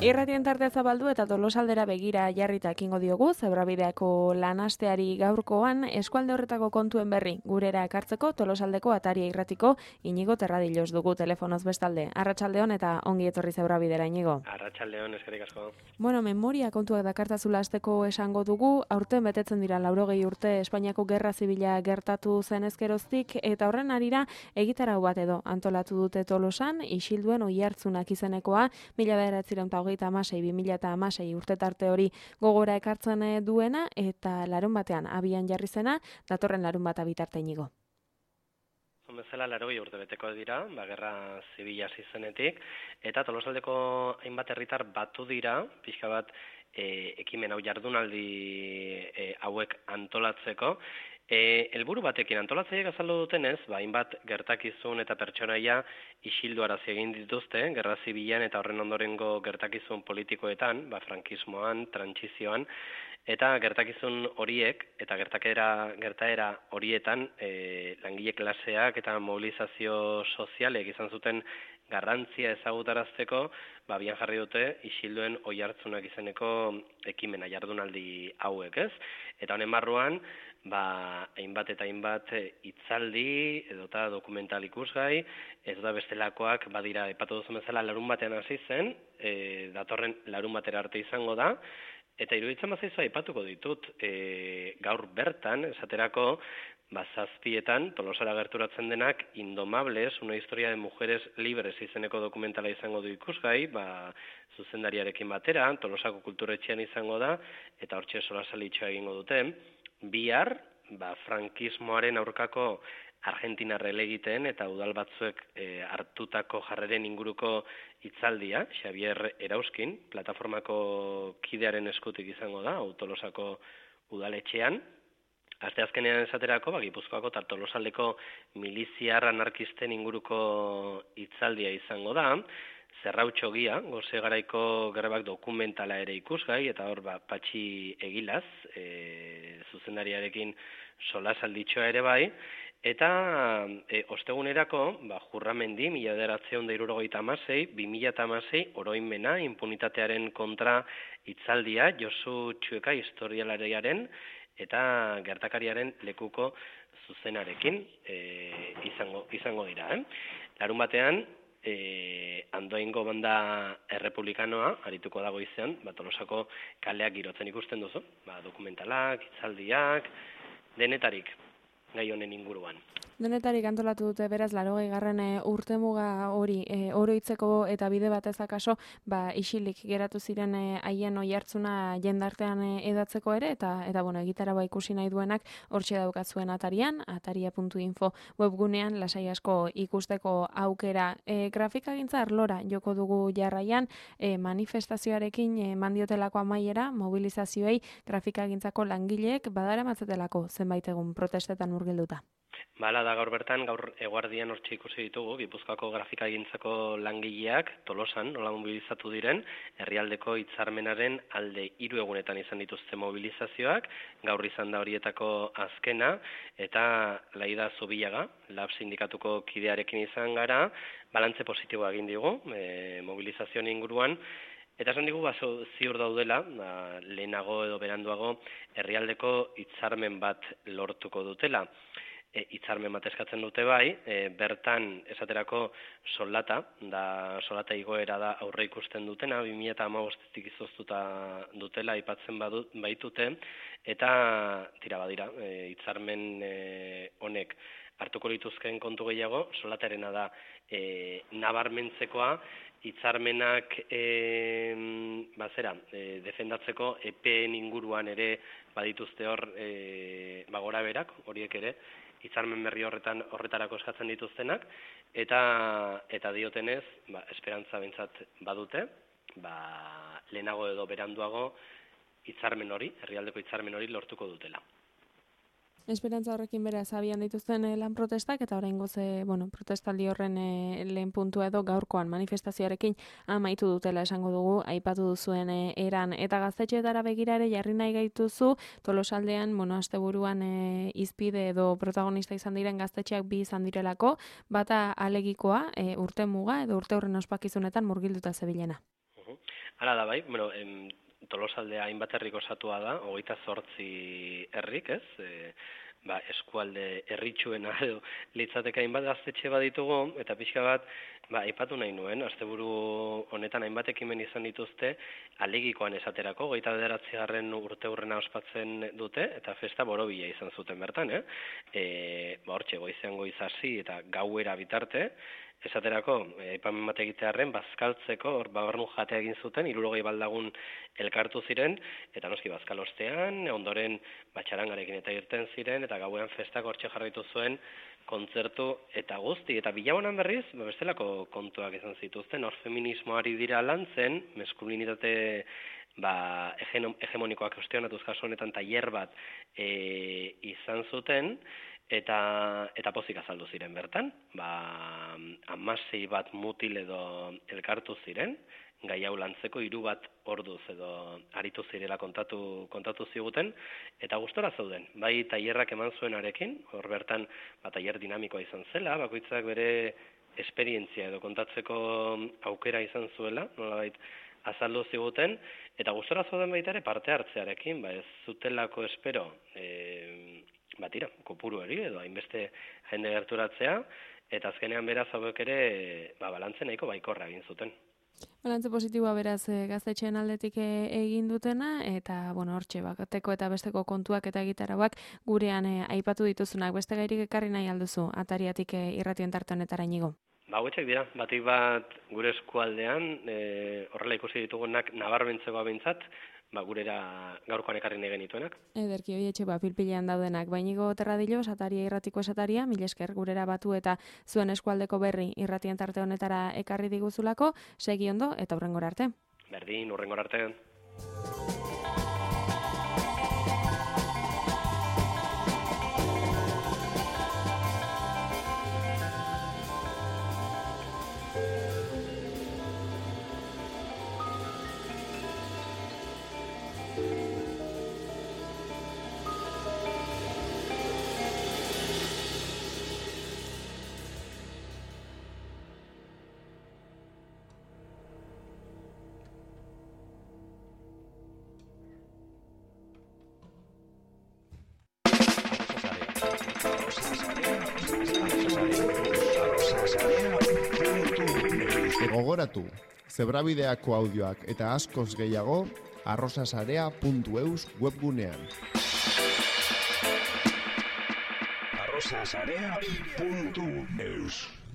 Irratien tartea zabaldu eta Tolosaldera begira jarrita ekingo diogu, Zebrabideako lanasteari gaurkoan eskualde horretako kontuen berri gurera ekartzeko Tolosaldeko Ataria irratiko Inigo Terradilos dugu telefonoz bestalde. Arratsaldeon eta ongi etorri Zebrabidera, Inigo. Arratsaldeon, eskerrik asko. Bueno, memoria kontuak dakartazula hasteko esango dugu, aurten betetzen dira 80 urte Espainiako Gerra Zibila gertatu zen ezkeroztik eta horren harira egitarau bat edo antolatu dute Tolosan, Isilduen Oihartzunak izenekoa 1956-2016 urte tarte hori gogora ekartzen duena eta larun batean abian jarri zena, datorren larun bat bitarte, Inigo. Bezala 80 urte beteko dira, Gerra Zibila hasi zenetik, eta Tolosaldeko hainbat herritar batu dira, pixka bat ekimen hau jardunaldi hauek antolatzeko. Helburu batekin antolatzaileek azaldu dutenez, hainbat gertakizun eta pertsonaia isilduarazi egin dituzte, Gerra Zibilan eta horren ondorengo gertakizun politikoetan, frankismoan, trantsizioan, eta gertakizun horiek eta gertaera horietan langile klaseak eta mobilizazio sozialek izan zuten garrantzia ezagutarazteko, abian jarri dute Isilduen Oihartzunak izeneko ekimena jardunaldi hauek, ez? Eta honen barruan, hainbat eta hainbat hitzaldi edota dokumental ikusgai, ez da bestelakoak badira aipatu duzu bezala larun batean hasi zen, datorren larun batera arte izango da, eta iruditzen bazaizu aipatuko ditut, gaur bertan, esaterako, zazpietan, Tolosara gerturatzen denak, Indomables, una historia de mujeres libres izeneko dokumentala izango du ikusgai, zuzendariarekin batera, Tolosako kulturetxean izango da, eta hortxe solasalitxoa egingo dute. Bihar, frankismoaren aurkako Argentina relegiten eta udal batzuek hartutako jarreren inguruko hitzaldia, Xavier Erauskin, plataformako kidearen eskutik izango da, Tolosako udaletxean. Asteazkenean esaterako, Gipuzkoako eta Tolosaldeko miliziar anarkisten inguruko hitzaldia izango da, Zerrautxo Gia, Gose Garaiko Grebak dokumentala ere ikusgai, eta hor Patxi Egilaz, zuzendariarekin solasalditxoa ere bai, eta ostegunerako, Jurramendi, 1976, 2016, oroimena, impunitatearen kontra hitzaldia, Josu Txueka historialariaren, eta gertakariaren lekuko zuzenarekin izango dira. Larun batean, Andoaingo banda errepublikanoa, arituko dago izan, Tolosako kaleak girotzen ikusten duzu, dokumentalak, hitzaldiak, denetarik gai honen inguruan. Denetarik antolatu dute beraz 80. urtemuga hori oroitzeko eta bide batez akaso isilik geratu ziren haien oihartzuna jendartean edatzeko ere eta egitaraua ikusi nahi duenak hortxe daukatzuen Atarian, ataria.info webgunean lasai asko ikusteko aukera. Grafikagintza arlora joko dugu jarraian manifestazioarekin mandiotelako amaiera mobilizazioei grafikagintzako langileek badaramatzetelako zenbait egun protestetan murgilduta. Da gaur bertan, gaur eguardian hortxe ikusi ditugu, Gipuzkoako grafikagintzako langileak Tolosan nola mobilizatu diren, herrialdeko hitzarmenaren alde 3 egunetan izan dituzte mobilizazioak, gaur izan da horietako azkena, eta Laida Zubillaga, LAB sindikatuko kidearekin izan gara, balantze positiboa egin digu, mobilizazioen inguruan, eta esan digu ziur daudela, lehenago edo beranduago, herrialdeko hitzarmen bat lortuko dutela. Hitzarmen bat eskatzen dute bai, bertan esaterako soldata igoera da aurre ikusten dutena, 2015tik izoztuta dutela aipatzen baitute, eta badira, hitzarmen honek hartuko lituzkeen kontu gehiago, soldatarena da nabarmentzekoa, hitzarmenak defendatzeko EPEen inguruan ere badituzte hor gora berak, horiek ere, hitzarmen berri horretarako eskatzen dituztenak, eta diotenez, esperantza behintzat badute, lehenago edo beranduago hitzarmen hori, herrialdeko hitzarmen hori lortuko dutela. Esperantza horrekin beraz abian dituzten lan protestak eta oraingoz protestaldi horren lehen puntua edo gaurkoan manifestazioarekin amaitu dutela esango dugu, aipatu duzuen eran eta gaztetxeetara begira ere jarri nahi gaituzu Tolosaldean asteburuan hizpide edo protagonista izan diren gaztetxeak bi izan direlako, bata alegikoa urte muga edo urte horren ospakizunetan murgilduta zebilena. Hala da bai, bueno, Tolosaldea hainbat herrik osatua da, 28 herrik, ez? Eskualde herritsuena edo litzateke hainbat gaztetxe baditugu, eta pixka bat, aipatu nahi nuen, asteburu honetan hainbat ekimen izan dituzte, alegikoan esaterako, 29. urteurrena ospatzen dute, eta festa borobila izan zuten bertan, hortxe, goizean goiz hasi eta gauera bitarte, esaterako, aipamen bat egitearren, bazkaltzeko, hor babarnu jatea egin zuten, 60 baldagun elkartu ziren, eta noski bazkalostean, ondoren batxarangarekin eta irten ziren, eta gauean festak hortxe jarraitu zuen, kontzertu eta guzti, eta bilabonan berriz, bestelako kontuak izan zituzten, hor feminismoari dira lantzen, maskulinitate hegemonikoak ostionatuz kasu honetan tailer bat izan zuten, eta pozik azaldu ziren bertan, 16 bat mutil edo elkartu ziren, gai hau lantzeko 3 bat orduz edo aritu zirela kontatu ziguten, eta gustora zauden, bai tailerrak eman zuenarekin, hor bertan tailer dinamikoa izan zela, bakoitzak bere esperientzia edo kontatzeko aukera izan zuela, nolabait azaldu ziguten, eta gustora zauden baita ere parte hartzearekin, ez zutelako espero, kopuru hori edo hainbeste jende gerturatzea, eta azkenean beraz hauek ere balantze nahiko baikorra egin zuten. Balantze positiboa beraz gaztetxeen aldetik egin dutena, eta hortxe bateko eta besteko kontuak eta gitarauak gurean aipatu dituzunak. Beste gairik ekarri nahi alduzu, atariatik irratien tarte honetara inigo? Hauetxek dira, batik bat gure eskualdean, horrela ikusi ditugunak nabarmentzeko abintzat, gurera gaurkoan ekarri nahi genituenak. Ederki, oietxe, pilpilean daudenak. Bainigo Terradillos, ataria irratiko esataria, mil esker gurera batu eta zuen eskualdeko berri irratien tarte honetara ekarri diguzulako, segi ondo eta hurrengora arte. Berdin, hurrengora arte. Gogoratu, zebrabideako audioak eta askoz gehiago arrosasarea.eus webgunean. arrosasarea.eus